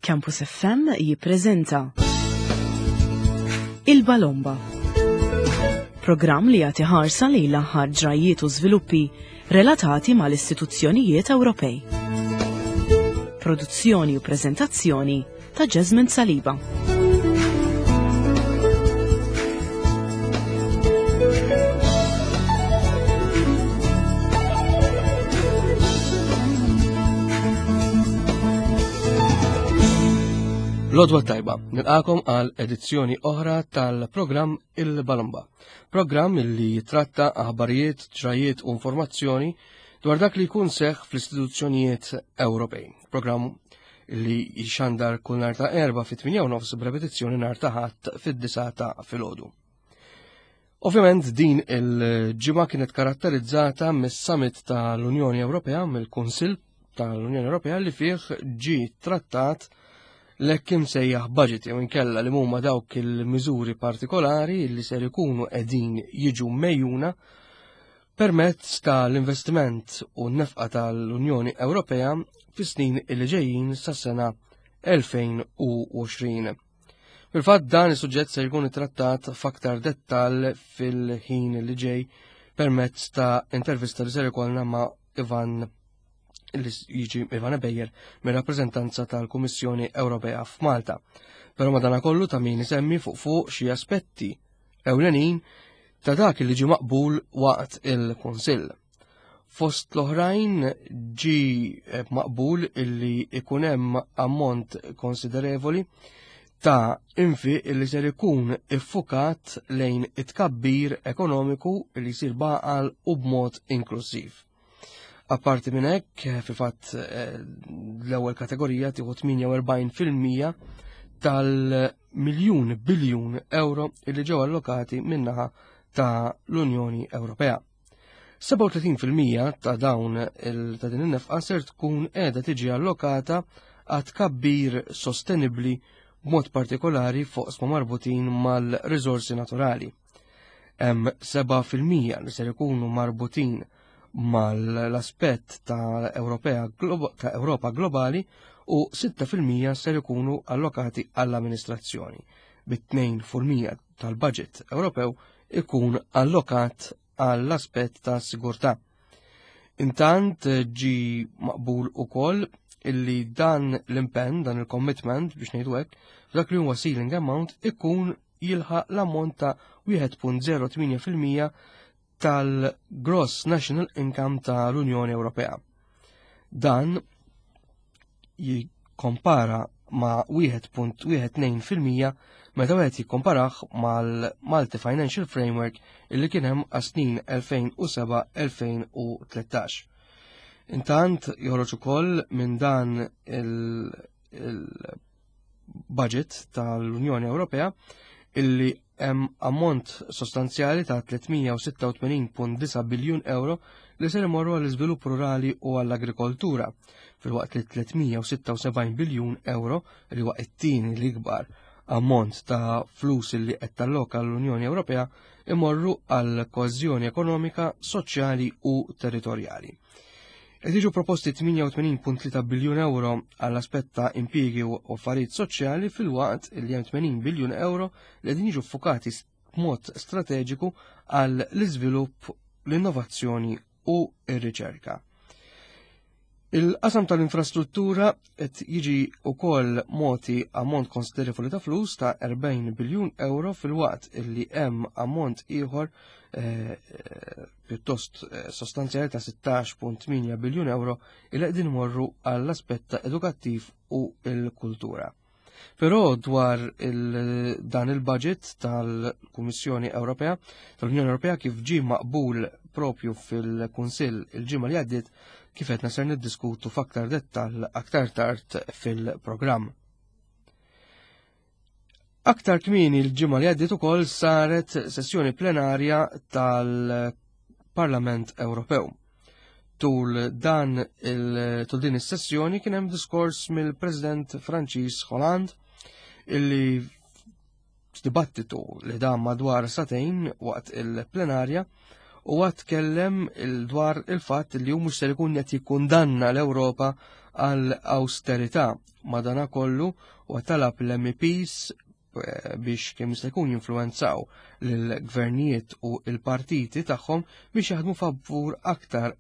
Campus FM jippreżenta Il-Balomba. Programm li jagħti ħarsa lejn l-aħħar ġrajjiet u żviluppi relatati mal-istituzzjonijiet Ewropej. Produzzjoni u preżentazzjoni ta' Jasmine Saliba. Lodwa tajba, nilqakom għal edizzjoni oħra tal-programm Il-Balomba. Programm li jitratta aħbarijiet, ġrajiet u informazzjoni dwar dak li jkun seħ fl-istituzzjonijiet Ewropej. Programm li jxandar kull nar ta' erba fit-8 u nofs b'repetizzjoni nar ta' ħadd fid-disa ta' filgħodu. Ovvjament din il-ġimgħa kienet karatterizzata mis-summit tal-Unjoni Ewropea mill-Kunsill tal-Unjoni Ewropea li fih ġi trattat l-hekk imsejjaħ budget jew inkella li huma dawk il-miżuri partikolari li ser ikunu qegħdin jiġu mejjuna permezz tal-investiment u n-nefqa tal-Unjoni Ewropea fis-snin li ġejjin sas-sena 2020. Fil-fatt dan is-suġġett se jkun ittrattat f'aktar dettall fil-ħin li ġej permezz ta' intervista li ser ikollna ma' Ivan li jiġi Ivan Ebejer mir-rappreżentanza tal-Kummissjoni Ewropea f'Malta. Però madanakollu ta' min isemmi fuq fuq xi aspetti ewlenin ta' dak li ġie maqbul waqt il-Kunsill. Fost l-oħrajn ġi eh, maqbul illi ikun hemm ammont konsiderevoli ta' infi illi ser ikun iffukat lejn it-tkabbir ekonomiku li jsir baqal u b'mod inklusiv. Apparti minn hekk, eh, fil-fatt eh, l-ewwel kategorija tieħu 48% tal-miljun biljun euro illi ġew allokati minnaħa ta' l-Unjoni Ewropea. 37% ta' dawn ta' din in-nefqa ser tkun qiegħda tiġi allokata għat kabbir sostenibbli b'mod partikolari fuq sma marbutin mal-riżorsi naturali. Hemm 7% li ser ikunu marbutin mal-aspett ta' Ewropea ta' Ewropa globali u 6% ser ikunu allokati għall-amministrazzjoni, bit-2% tal-budget Ewropew ikun allokat għall-aspett ta' sigurtà. Intant ġi maqbul ukoll illi dan l-impenn, dan il-commitment biex ngħidu hekk, f'dak li huwa ceiling amount ikun jilħaq l-ammont ta' 1.08% tal-Gross National Income tal-Unjoni Ewropea. Dan jikkompara ma' 1.12% meta wieħed jikkomparah mal-Malti Financial Framework illi kien hemm għas-snin 2007-2013. Intant joħroġ ukoll minn dan il-, il budget tal-Unjoni Ewropea illi hemm ammont sostanzjali ta' 386.9 biljun euro li ser imorru għall-iżvilupp rurali u għall-agrikoltura, filwaqt li 376 biljun euro li huwa t-tieni l-ikbar ammont ta' flus li qed talloka l-Unjoni Ewropea imorru għal koeżjoni ekonomika, soċjali u territorjali. Qed jiġu proposti 88.3 biljun euro għall-aspett ta' impjiegi u affarijiet soċjali filwaqt li hemm 80 biljun euro li qegħdin jiġu ffukati b'mod strateġiku għall iżvilupp l-innovazzjoni u r-riċerka. Il-qasam tal-infrastruttura qed jiġi wkoll moti ammont konsiderevoli ta' flus ta' 40 biljun euro filwaqt li hemm ammont ieħor eh, eh, pjuttost eh, sostanzjali ta' 16.8 biljun euro il qegħdin morru għall-aspett edukattiv u l-kultura. Però dwar il dan il-budget tal-Kummissjoni Ewropea, tal-Unjoni Ewropea kif ġie maqbul propju fil-Kunsill il-ġimgħa li għaddiet kif qed ser niddiskutu f'aktar dettall aktar tard fil-programm. Aktar kmieni l-ġimgħa li għaddiet ukoll saret sessjoni plenarja tal-Parlament Ewropew. Tul dan il tul din is-sessjoni kien hemm diskors mill-President Franċiż Hollande illi f'dibattitu li dam madwar satejn waqt il-plenarja u tkellem il dwar il-fatt li hu mhux ser ikun qed jikkundanna l-Ewropa għal awsterità. Madanakollu huwa talab l-MEPs eh, biex kemm jista' jkun jinfluwenzaw lill-gvernijiet u l-partiti tagħhom biex jaħdmu favur aktar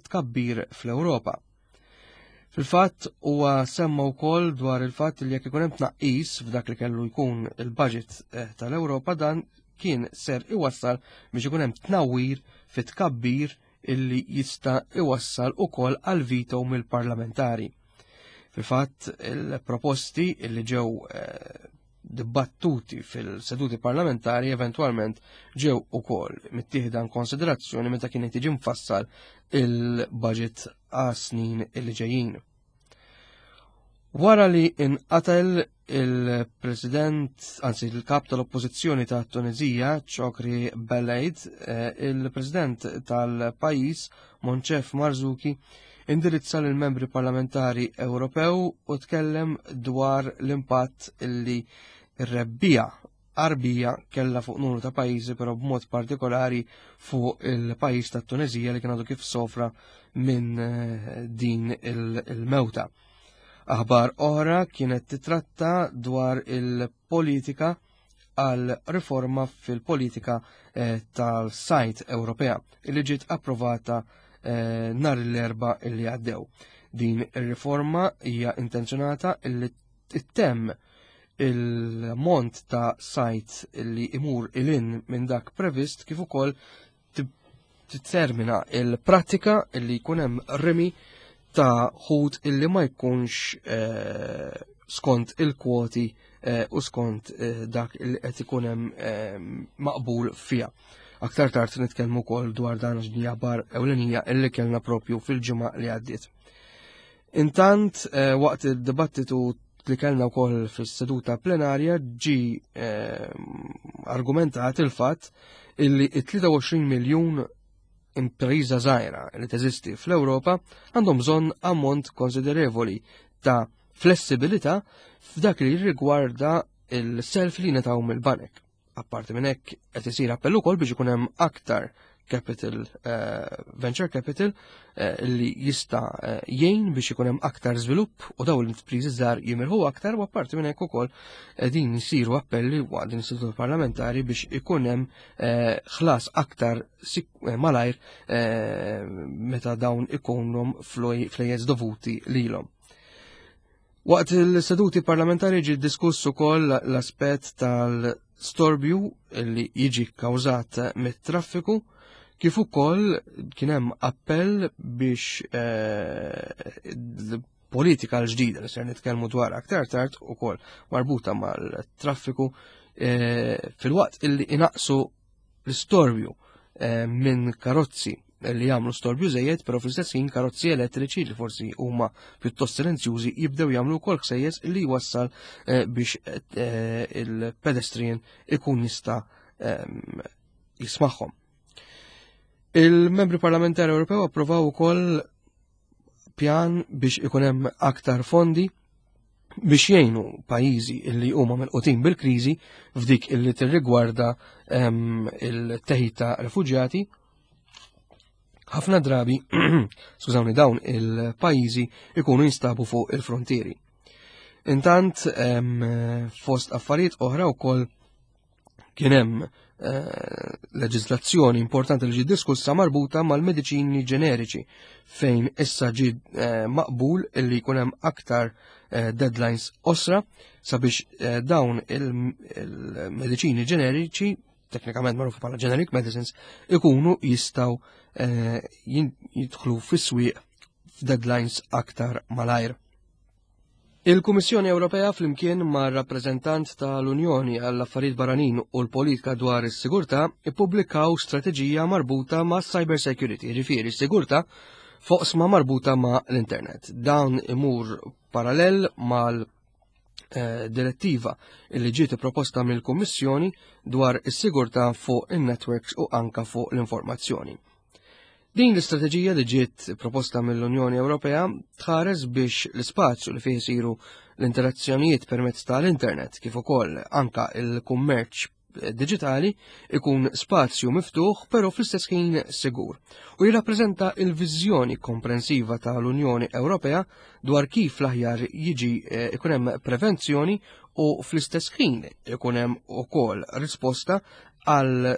tkabbir fl-Ewropa. Fil-fatt huwa semma wkoll dwar il-fatt li jekk ikun hemm tnaqqis f'dak li kellu jkun il-budget eh, tal-Ewropa dan kien ser iwassal biex ikun hemm tnawwir fit tkabbir illi jista' iwassal ukoll għal veto mill-parlamentari. Fil-fatt il-proposti illi ġew eh, dibattuti fil-seduti parlamentari eventwalment ġew ukoll mittieħda konsiderazzjoni meta kien qed jiġi mfassal il-budget għas snin li ġejjin. Wara li inqatel il-president, anzi il-kap tal-oppożizzjoni ta' Tunizija, Chokri Belaid, eh, il-president tal-pajis, Moncef Marzuki, indirizza lil membri parlamentari Ewropew u tkellem dwar l-impatt illi r-rebbija Arbija kella fuq numru ta' pajjiżi però b'mod partikolari fuq il-pajjiż ta' Tunezija li kien għadu kif sofra minn eh, din il-mewta. Aħbar oħra kienet titratta dwar il-politika għal riforma fil-politika eh, tal-sajt Ewropea li ġiet approvata eh, nhar l-erba li għaddew. Din ir-riforma hija intenzjonata li ttemm il-mont ta' sajt li imur ilin minn dak previst kif ukoll tittermina il-prattika li jkun hemm rimi ta' ħut illi ma jkunx eh, skont il-kwoti eh, u skont eh, dak li qed ikun hemm maqbul fiha. Aktar tard nitkellmu wkoll dwar dan għax din bar ewlenija illi kellna propju fil-ġimgħa li għaddiet. Intant waqt id-dibattitu li kellna wkoll fis-seduta plenarja ġi argumentat il-fatt illi 23 miljun impriża żgħira li teżisti fl-Ewropa għandhom bżonn ammont konsiderevoli ta' flessibilità f'dak li jirrigwarda il-self li netaw mill-banek. Apparti minn hekk qed isir appell ukoll biex ikun hemm aktar capital uh, venture capital uh, li jista' uh, jgħin biex ikun hemm aktar żvilupp u dawn l-intrapriżi żgħar jimirħu aktar u apparti minn hekk ukoll din isiru appelli waqt din istitut parlamentari biex ikun hemm ħlas aktar malajr meta dawn ikunhom flejjes dovuti lilhom. Waqt il-seduti parlamentari ġi diskuss ukoll l-aspett tal-storbju li jiġi kkawżat mit-traffiku kif ukoll kien hemm appell biex eh, politika l-ġdida li ser nitkellmu dwar aktar tard ukoll marbuta mal-traffiku eh, fil-waqt illi inaqsu l-istorbju eh, minn karozzi li jagħmlu storbju żejjed, però fl-istess ħin karozzi elettriċi li forsi huma pjuttost silenzjużi jibdew jagħmlu wkoll ħsejjes li jwassal eh, biex eh, il-pedestrian ikun jista' ehm, jismagħhom. Il-membri parlamentari Ewropew approvaw ukoll pjan biex ikun hemm aktar fondi biex jgħinu pajjiżi illi huma milqutin bil-kriżi f'dik illi tirrigwarda ehm, il-teħid ta' refuġjati. Ħafna drabi, skużawni, dawn il-pajjiżi ikunu jinstabu fuq il-frontieri. Intant, ehm, fost affarijiet oħra wkoll Kien hemm eh, leġiżlazzjoni importanti li ġiet diskussa marbuta mal-mediċini ġeneriċi fejn issa ġi eh, maqbul illi jkun hemm aktar eh, deadlines osra sabiex dawn il-mediċini ġeneriċi teknikament magħrufa bħala generic medicines ikunu jistgħu jidħlu fis-swieq f'deadlines aktar malajr. Il-Kummissjoni Ewropea flimkien ma' rappreżentant tal-Unjoni għall-Affarijiet Barranin u l-Politika dwar is-Sigurtà ippubblikaw strateġija marbuta ma' cyber security, jiġifieri sigurtà foqsma marbuta ma' l-internet. Dan imur parallel mal eh, direttiva li ġiet proposta mill-Kummissjoni dwar is-sigurtà fuq in-networks u anka fuq l-informazzjoni. Din l-istrateġija li ġiet proposta mill-Unjoni Ewropea tħares biex l-ispazju li fih isiru l-interazzjonijiet permezz tal-internet kif ukoll anka il-kummerċ diġitali ikun spazju miftuħ però fl-istess ħin sigur u jirrappreżenta il-viżjoni komprensiva tal-Unjoni Ewropea dwar kif l-aħjar jiġi eh, ikun hemm prevenzjoni u fl-istess ħin ikun hemm ukoll risposta għal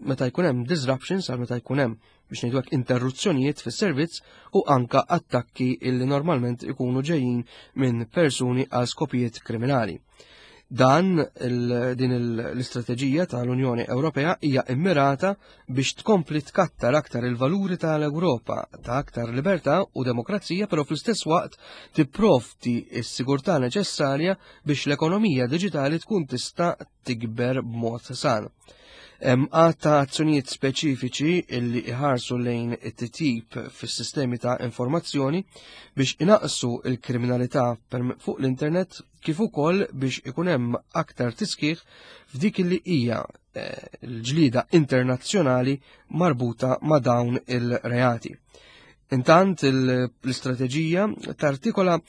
meta jkun hemm disruptions għal meta jkun hemm biex ngħidu hekk interruzzjonijiet fis-servizz u anka attakki illi normalment ikunu ġejjin minn persuni għal skopijiet kriminali. Dan din l-istrateġija tal-Unjoni Ewropea hija immirata biex tkompli tkattar aktar il-valuri tal-Ewropa ta' aktar libertà u demokrazija, però fl-istess waqt tipprovdi s-sigurtà neċessarja biex l-ekonomija diġitali tkun tista' tikber b'mod san. Hemm għadd ta' azzjonijiet speċifiċi illi iħarsu lejn it-titjib fis-sistemi ta' informazzjoni biex inaqsu il-kriminalità fuq l-internet kif ukoll biex ikun hemm aktar tiskieħ f'dik li hija eh, l-ġlida internazzjonali marbuta ma' dawn il-reati. Intant l-istrateġija tartikola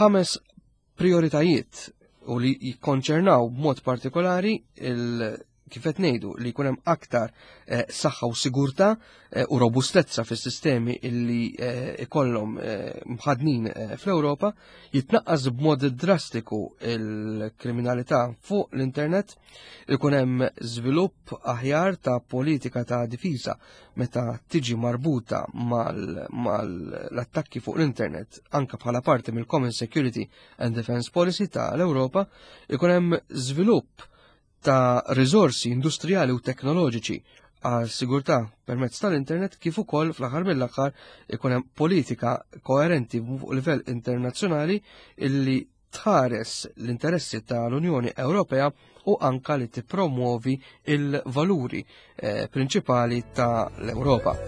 ħames prioritajiet u li jikkonċernaw b'mod partikolari il kif qed ngħidu li jkun hemm aktar eh, saħħa u sigurtà eh, u robustezza fis-sistemi illi eh, ikollhom mħadnin fl-Ewropa, jitnaqqas b'mod drastiku il-kriminalità fuq l-internet, ikun hemm żvilupp aħjar ta' politika ta' difiża meta tiġi marbuta mal-attakki fuq l-internet anka bħala parti mill-Common Security and Defense Policy ta' l-Ewropa, ikun hemm żvilupp ta' riżorsi industrijali u teknoloġiċi għal sigurtà permezz tal-internet kif ukoll fl-aħħar mill-aħħar ikun hemm politika koerenti fuq livell internazzjonali illi tħares l-interessi tal-Unjoni Ewropea u anka li tippromuovi il-valuri eh, prinċipali tal-Ewropa.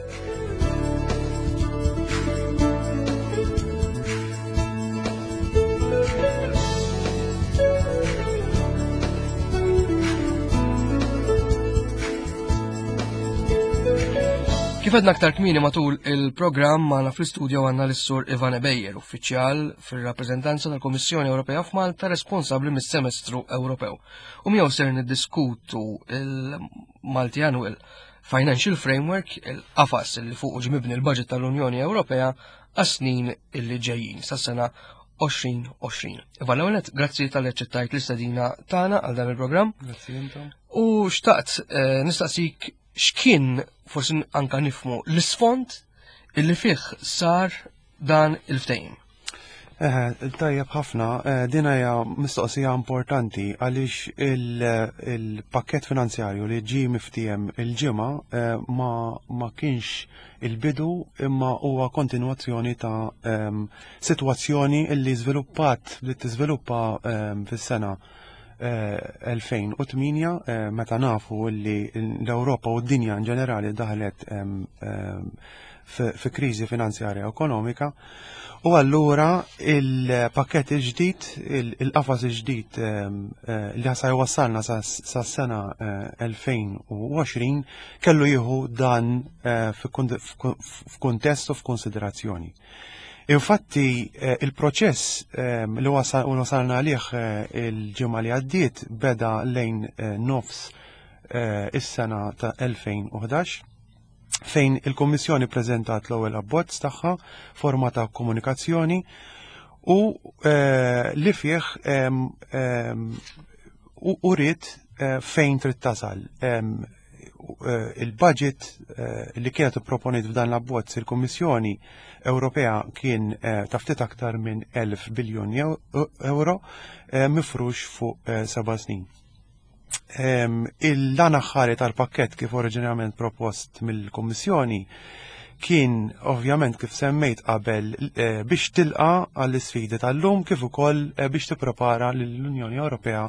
Kif għedna aktar kmini matul il-programm magħna fl-istudio għandna l-Sur Ivan Ebejer, uffiċjal fir-rappreżentanza tal-Kummissjoni Ewropea f'Malta responsabbli mis-Semestru Ewropew. U miegħu ser niddiskutu il-Malti Annual Financial Framework, il-qafas li fuq ġmibni l-budget tal-Unjoni Ewropea għas-snin illi ġejjin sas-sena 2020. Ivan l grazzi tal eċċettajt l-istedina tagħna għal dan il-programm. Grazzi intom. U xtaqt eh, nistaqsik x'kien forsi anka nifmu l-isfond illi fih sar dan il-ftehim. Eh, tajjeb ħafna, eh, din hija mistoqsija importanti għaliex il-pakket finanzjarju li ġie miftiem il-ġimgħa eh, ma, ma kienx il-bidu imma huwa kontinwazzjoni ta' ehm, sitwazzjoni illi żviluppat li tiżviluppa ehm, fis-sena 2008 eh, meta nafu li l-Ewropa u d-dinja in ġenerali daħlet fi kriżi finanzjarja ekonomika. U allura il-pakket il-ġdid, il-qafas il-ġdid eh, li sa jwassalna sa sena 2020 eh, kellu jieħu dan f'kuntest u f'konsiderazzjoni. Infatti, eh, il-proċess ehm, li wasalna għalih eh, il-ġimgħa li għaddiet beda lejn eh, nofs is-sena ta' 2011 fejn il-Kommissjoni preżentat l-ewwel abbozz tagħha forma ta' komunikazzjoni u li fih ehm, ehm, uriet fejn trid tasal. Eh, il-budget eh, li kienet proponiet f'dan l-abbozz il-Kummissjoni Ewropea kien eh, ta' ftit aktar minn 1000 biljun euro mifrux fuq seba' snin. Ehm, il-lan aħħari tal-pakket kif oriġinarjament propost mill-Kummissjoni kien ovvjament kif semmejt qabel biex tilqa għall-isfidi tal-lum kif ukoll biex tipprepara lill-Unjoni Ewropea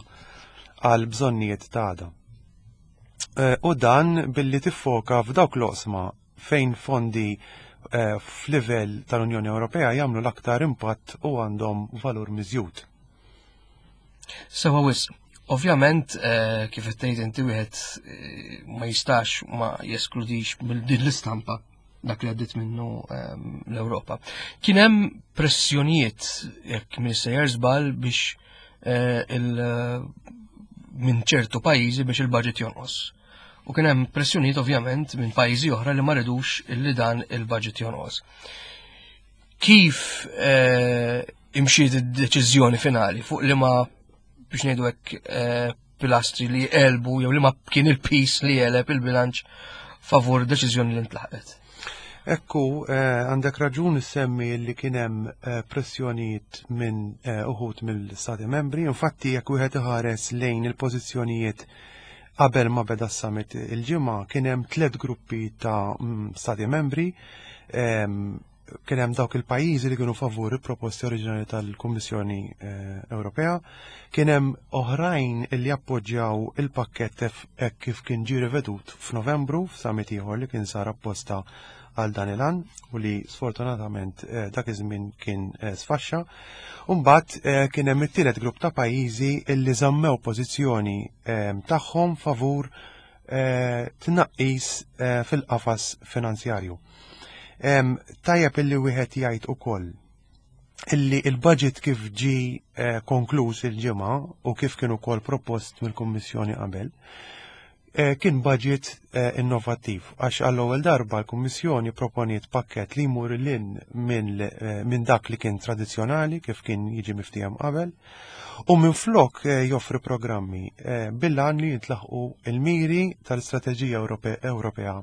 għal bżonnijiet ta' għada. Eh, u dan billi tiffoka f'dawk l-oqsma fejn fondi eh, f'livell tal-Unjoni Ewropea jagħmlu l-aktar impatt u għandhom valur miżjud. Sewa wis, ovvjament eh, kif qed tgħid inti wieħed ma jistax ma jeskludix mill din l-istampa dak li għaddit minnu ehm, l-Ewropa. Kien hemm pressjonijiet jekk minn sejjer żball biex eh, il- minn ċertu pajjiżi biex il-budget jonqos. U kien hemm pressjonijiet ovvjament minn pajjiżi oħra li ma ridux illi dan il-budget jonqos. Kif eh, imxiet id-deċiżjoni finali fuq li ma biex ngħidu hekk eh, pilastri li elbu jew li ma kien il-pis li eleb il-bilanċ favur deċiżjoni li ntlaħqet. Ekku, eh, għandek raġun semmi li kien hemm eh, pressjonijiet minn eh, uħut mill-Stati membri, infatti jekk wieħed iħares lejn il-pożizzjonijiet qabel ma beda s-summit il-ġimgħa kien hemm tliet gruppi ta' mm, Stati membri ehm, kien hemm dawk il-pajjiżi li kienu favur il-proposti oriġinali tal-Kummissjoni eh, Ewropea, kien hemm oħrajn li appoġġjaw il-pakkett hekk kif kien ġie rivedut f'Novembru f'summit ieħor li kien sar apposta għal dan il-an u li sfortunatament eh, dak iż-żmien kien eh, sfaxxa. Mbagħad kien hemm it-tielet grupp ta' pajjiżi li żammew pożizzjoni tagħhom favur tnaqqis fil-qafas finanzjarju. Tajjeb illi wieħed jgħid ukoll illi il-budget kif ġi eh, konkluż il-ġimgħa u kif kien ukoll propost mill-Kummissjoni qabel, eh, kien budget eh, innovattiv għax għall-ewwel darba l-Kummissjoni proponiet pakket li jmur lin minn dak li kien tradizzjonali kif kien jiġi miftiehem qabel u minflok joffri programmi bil-għan li jintlaħqu il-miri tal-Istrateġija Ewropea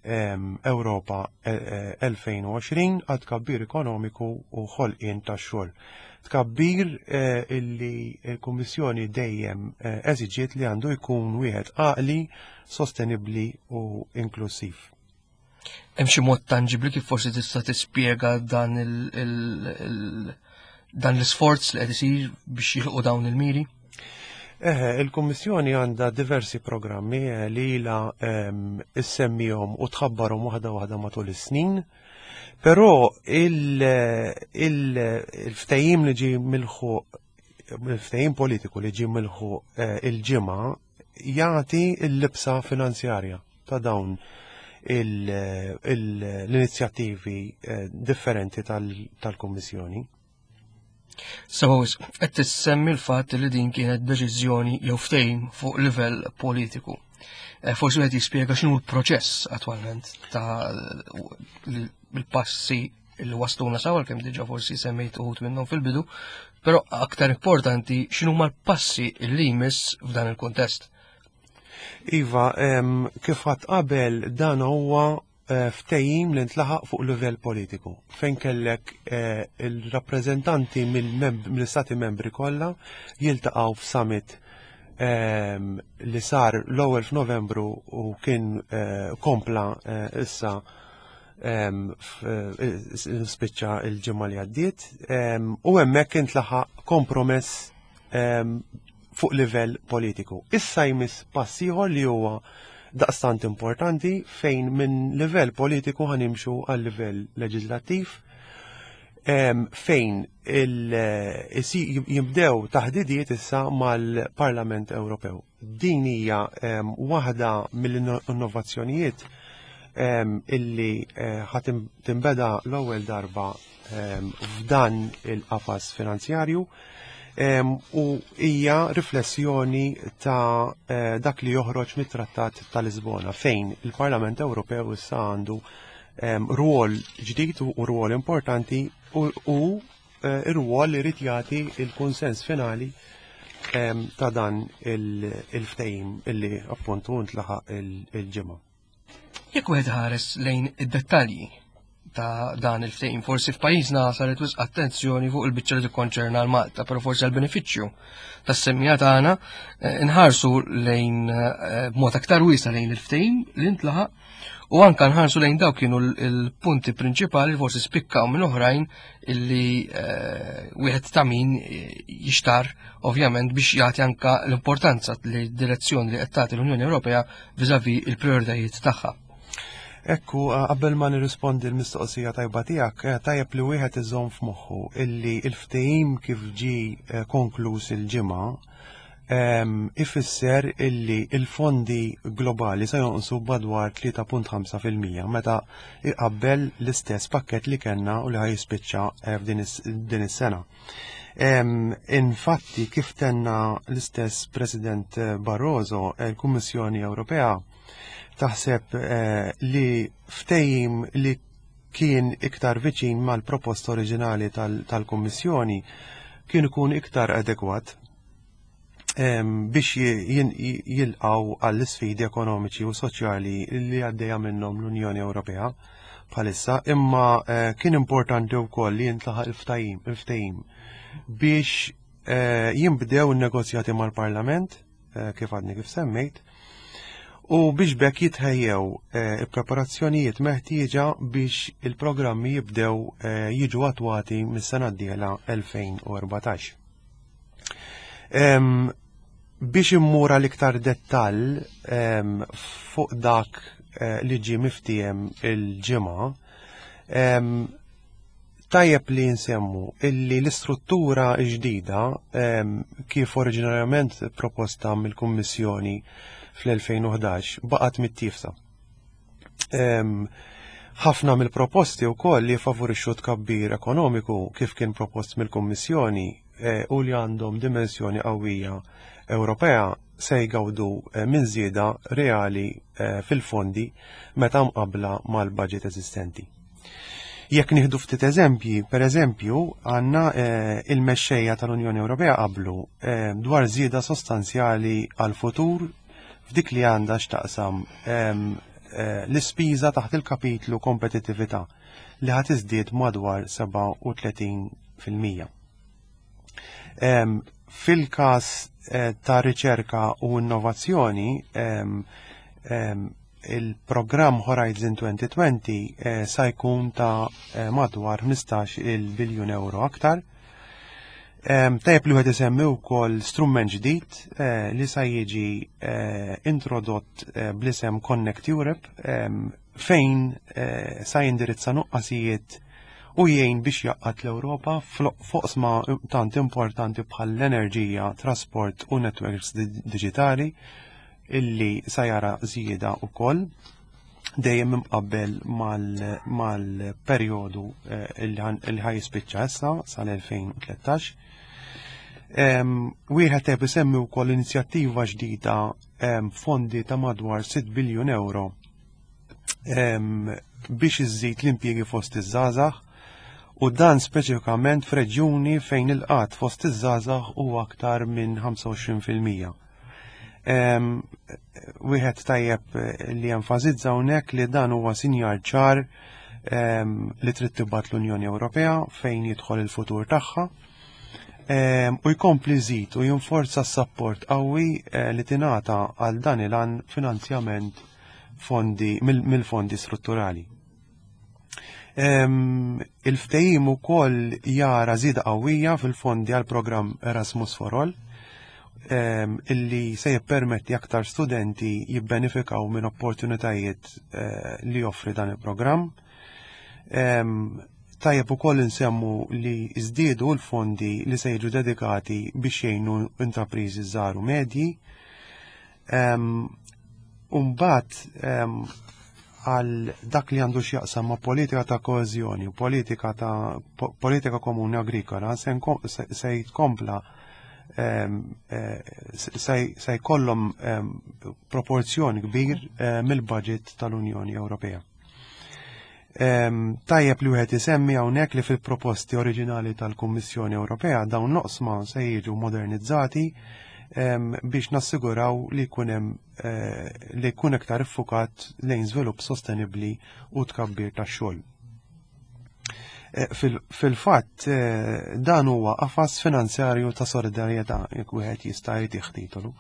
Ewropa 2020 eh, għal tkabbir ekonomiku u ħolqien ta' xogħol. Tkabbir eh, illi l-Kummissjoni dejjem eh, eżiġiet li għandu jkun wieħed għaqli, sostenibbli u inklusiv. Hemm xi mod tanġibli kif forsi tista' tispjega dan il dan l-isforz li qed isir biex jilqu dawn il-miri? Eħe, il-Kummissjoni għandha diversi programmi eh, li ilha ehm, issemmihom u tħabbarhom waħda waħda matul is-snin. Però il-ftehim li ġi milħu il-ftehim politiku li ġi milħu eh, il-ġimgħa jagħti l-libsa finanzjarja ta' dawn l-inizjattivi eh, differenti tal-Kummissjoni. Suppose, qed tissemmi l-fatt li din kienet deċiżjoni jew ftehim fuq livell politiku. Eh, forsi qed jispjega x'inhu l-proċess attwalment ta' l-passi li wasluna sawa kemm diġà forsi semmejt uħud minnhom fil-bidu, però aktar importanti x'inhuma l-passi li jmiss f'dan il-kuntest. Iva, kif għad qabel dan huwa eh, ftehim li ntlaħaq fuq livell politiku fejn kellek eh, il-rappreżentanti mill-istati membri kollha jiltaqgħu f'summit ehm, li sar l-ewwel f'Novembru u kien eh, kompla issa ehm, spiċċa il-ġimgħa li għaddiet ehm, u hemmhekk intlaħaq kompromess fuq livell politiku. Issa jmiss pass ieħor li huwa daqstant importanti fejn minn livell politiku ħanimxu għal livell leġislattiv fejn eh, jibdew taħdidiet issa mal-Parlament Ewropew. Din hija waħda mill-innovazzjonijiet illi eh, ħat tinbeda l-ewwel darba f'dan il-qafas finanzjarju u hija riflessjoni ta' eh, dak li joħroġ mit-Trattat ta' Lisbona fejn il-Parlament Ewropew issa għandu rwol ġdid u rwol importanti u eh, ir-rwol li jrid jagħti il-kunsens finali ta' dan il-ftehim illi appuntu ntlaħaq il-ġimgħa. Jekk wieħed ħares lejn id-dettalji ta' dan il-ftehim, forsi f'pajjiżna saret wisq attenzjoni fuq il-biċċa li tikkonċerna l-Malta, però forsi għal benefiċċju tas-semmija tagħna eh, nħarsu lejn eh, b'mod aktar wiesa lejn il-ftehim li ntlaħaq u anka nħarsu lejn dawk kienu l-punti prinċipali li forsi spikkaw minn oħrajn illi eh, wieħed ta' min jixtar ovvjament biex jagħti anka l-importanza li direzzjoni li qed tagħti l-Unjoni Ewropea viżavi il-prioritajiet tagħha. Ekku, qabel ma nirrispondi l-mistoqsija tajba tiegħek, eh, tajjeb li wieħed iżomm f'moħħu illi l-ftehim kif ġi eh, konkluż il-ġimgħa Ifisser illi il-fondi globali se jonqsu badwar 3.5% meta iqabbel l-istess pakket li kellna u li ħa jispiċċa f'din din is-sena. Infatti, kif tenna l-istess President Barroso, il-Kummissjoni Ewropea taħseb li ftehim li kien iktar viċin mal-proposta oriġinali tal-Kummissjoni kien ikun iktar adekwat biex jilqaw għall-isfidi ekonomiċi u soċjali li għaddejja minnhom l-Unjoni Ewropea bħalissa, imma kien importanti wkoll li jintlaħaq il-ftehim biex jinbdew in-negozjati mal-Parlament, kif għadni kif semmejt, u biex bekk jitħejjew il-preparazzjonijiet meħtieġa biex il-programmi jibdew jiġu attwati mis-sena d-dieħla 2014. Biex immur għal iktar dettall fuq dak li ġie miftiem il-ġimgħa, tajjeb li nsemmu illi l-istruttura ġdida kif oriġinarjament proposta mill-Kummissjoni fl-2011 baqgħet mittiefsa. Ħafna mill-proposti wkoll li favorixxu tkabbir ekonomiku kif kien propost mill-Kummissjoni u li għandhom dimensjoni qawwija Ewropea se jgawdu minn żieda reali fil-fondi meta mqabbla mal-budget eżistenti. Jekk nieħdu ftit eżempji, per eżempju, għandna il-mexxejja tal-Unjoni Ewropea qablu dwar żieda sostanzjali għal-futur f'dik li għandha x'taqsam l-ispiża taħt il-kapitlu kompetittività li ħa tiżdied madwar 37%. Fil-każ ta' riċerka u innovazzjoni, il-programm Horizon 2020 sa jkun ta' madwar 15 il-biljun euro aktar. Tajjeb li wieħed isemmi wkoll strument ġdid li sa jiġi introdott bl-isem Connect Europe, fejn sa jindirizza nuqqasijiet u jgħin biex jgħaqqad l-Ewropa f'oqsma tant importanti bħal l-enerġija, trasport u networks digitali, illi sa jara żieda wkoll dejjem imqabbel mal-perjodu li ħa jispiċċa issa sal-2013. Wieħed qed isemmi wkoll inizjattiva ġdida, fondi ta' madwar 6 biljun euro biex iżżid l-impjiegi fost iż-żgħażagħ, u dan speċifikament f'reġjuni fejn il-qgħad fost iż-żgħażagħ huwa aktar minn 25%. Wieħed tajjeb li jenfasizza hawnhekk li dan huwa sinjal ċar li trid tibgħat l-Unjoni Ewropea fejn jidħol il-futur tagħha u jkompli żid u jinforza s-sapport qawwi li tingħata għal dan il-għan finanzjament fondi mill-fondi strutturali. Il-ftehim ukoll jara żieda qawwija fil-fondi għal programm Erasmus for All, illi se jippermetti aktar studenti jibbenefikaw minn opportunitajiet li joffri dan il-programm. Tajjeb ukoll insemmu li żdiedu l-fondi li se jiġu dedikati biex jgħinu intrapriżi żgħar u medji. Umbat għal dak li għandu x'jaqsam ma' politika ta' koeżjoni u politika komuni agrikola, se jitkompla se jkollhom proporzjon kbir mill-budget tal-Unjoni Ewropea. Tajjeb li wieħed isemmi hawnhekk li fil-proposti oriġinali tal-Kummissjoni Ewropea dawn l-oqsma se jiġu modernizzati biex nassiguraw li jkun hemm li jkun iktar iffukat lejn żvilupp sostenibbli u tkabbir tax-xogħol. Fil-fatt dan huwa qafas finanzjarju ta' solidarjetà, jekk wieħed jista' jtih titolu,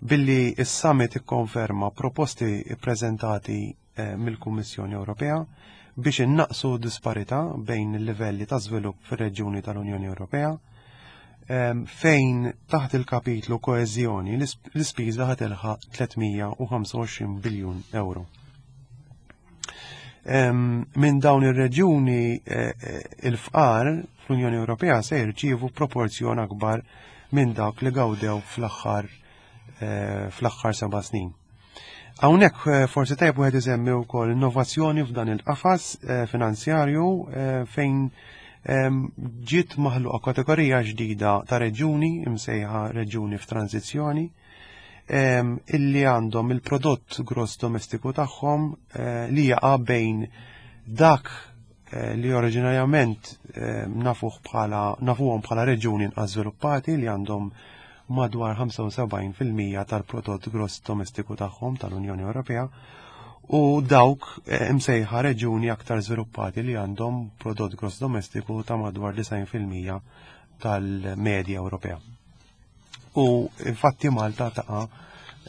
billi s-summit ikkonferma proposti ppreżentati mill-Kummissjoni Ewropea biex innaqsu disparità bejn il-livelli ta' żvilupp fir-reġjuni tal-Unjoni Ewropea, fejn taħt il-kapitlu koeżjoni l-ispiża ħa tilħaq 325 biljun euro. Minn dawn ir-reġjuni il-fqar fl-Unjoni Ewropea se jirċievu proporzjon akbar minn dak li gawdew fl-aħħar eh, fl-aħħar seba' snin. Hawnhekk eh, forsi tajjeb wieħed isemmi wkoll innovazzjoni f'dan il-qafas eh, finanzjarju fejn ehm, ġiet maħluqa kategorija ġdida ta' reġuni imsejħa reġuni f'tranzizzjoni ehm, illi għandhom il-prodott gross domestiku tagħhom li jaqa' bejn dak Eh, li oriġinarjament eh, nafuh bħala nafuhom bħala reġjuni inqas żviluppati li għandhom madwar 75% tal-prodott gross domestiku tagħhom tal-Unjoni Ewropea u dawk eh, imsejħa reġjuni aktar żviluppati li għandhom prodott gross domestiku ta' madwar 90% tal-medja Ewropea. U infatti Malta taqa'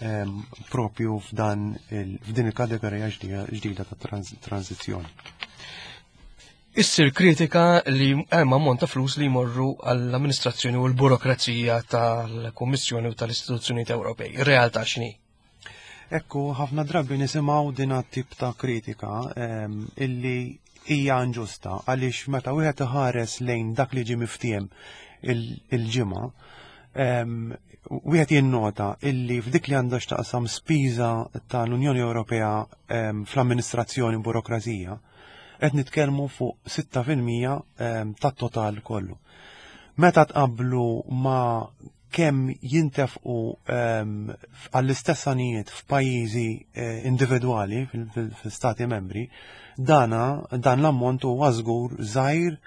ehm, propju f'dan f'din il-kategorija ġdida ta' tranzizzjoni. Issir kritika li hemm ammont ta' flus li jmorru għall-amministrazzjoni u l-burokrazija tal-Kummissjoni u tal-istituzzjonijiet Ewropej. Ir-realtà x'inhi? Ekku, ħafna drabi nisimgħu din tip ta' kritika ehm, illi hija inġusta għaliex meta wieħed iħares lejn dak li ġie miftiem il-ġimgħa, ehm, wieħed jinnota illi f'dik li għandha x'taqsam spiża tal-Unjoni Ewropea ehm, fl-amministrazzjoni u burokrazija, qed nitkellmu fuq 6% tat-total kollu. Meta tqablu ma' kemm jintefqu ehm, għall-istess għanijiet f'pajjiżi eh, individwali fil-stati membri, dana dan l-ammont huwa żgur żgħir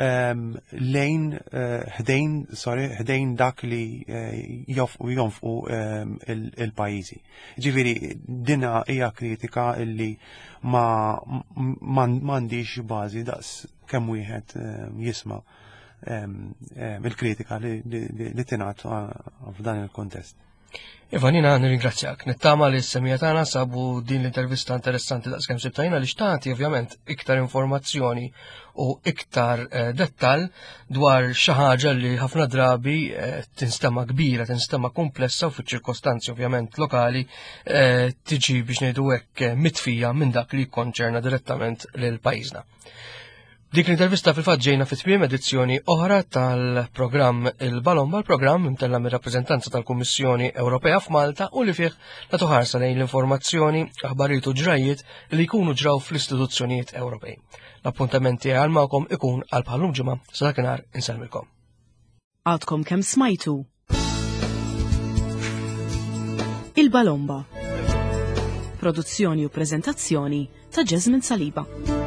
ehm, lejn eh, ħdejn sorry ħdejn dak li eh, jonfqu ehm, il-pajjiżi. Ġifieri dina hija kritika illi ma m'għandix bażi daqs kemm wieħed jisma' il-kritika li tingħat f'dan il-kontest. Ivan, jina nirringrazzjak. Nittama li s-semija tagħna sabu din l-intervista interessanti daqskemm sibtajna li xtati ovvjament iktar informazzjoni u iktar eh, dettal dwar xi ħaġa li ħafna drabi eh, tinstema kbira, tinstema komplessa u fiċ-ċirkostanzi ovvjament lokali eh, tiġi biex ngħidu hekk mitfija minn dak li jikkonċerna direttament lil pajjiżna. Dik l-intervista fil-fatt ġejna fi tmiem edizzjoni oħra tal-programm Il-Balomba, l-programm imtella mir-rappreżentanza tal-Kummissjoni Ewropea f'Malta u li fih nagħtu ħarsa lejn l-informazzjoni, aħbarijiet u ġrajiet li jkunu ġraw fl-istituzzjonijiet Ewropej. L-appuntament tiegħi għal magħkom ikun għal bħallum ġimgħa sa dakinhar insellmilkom. Għadkom kemm smajtu Il-Balomba. Produzzjoni u preżentazzjoni ta' Jasmine Saliba.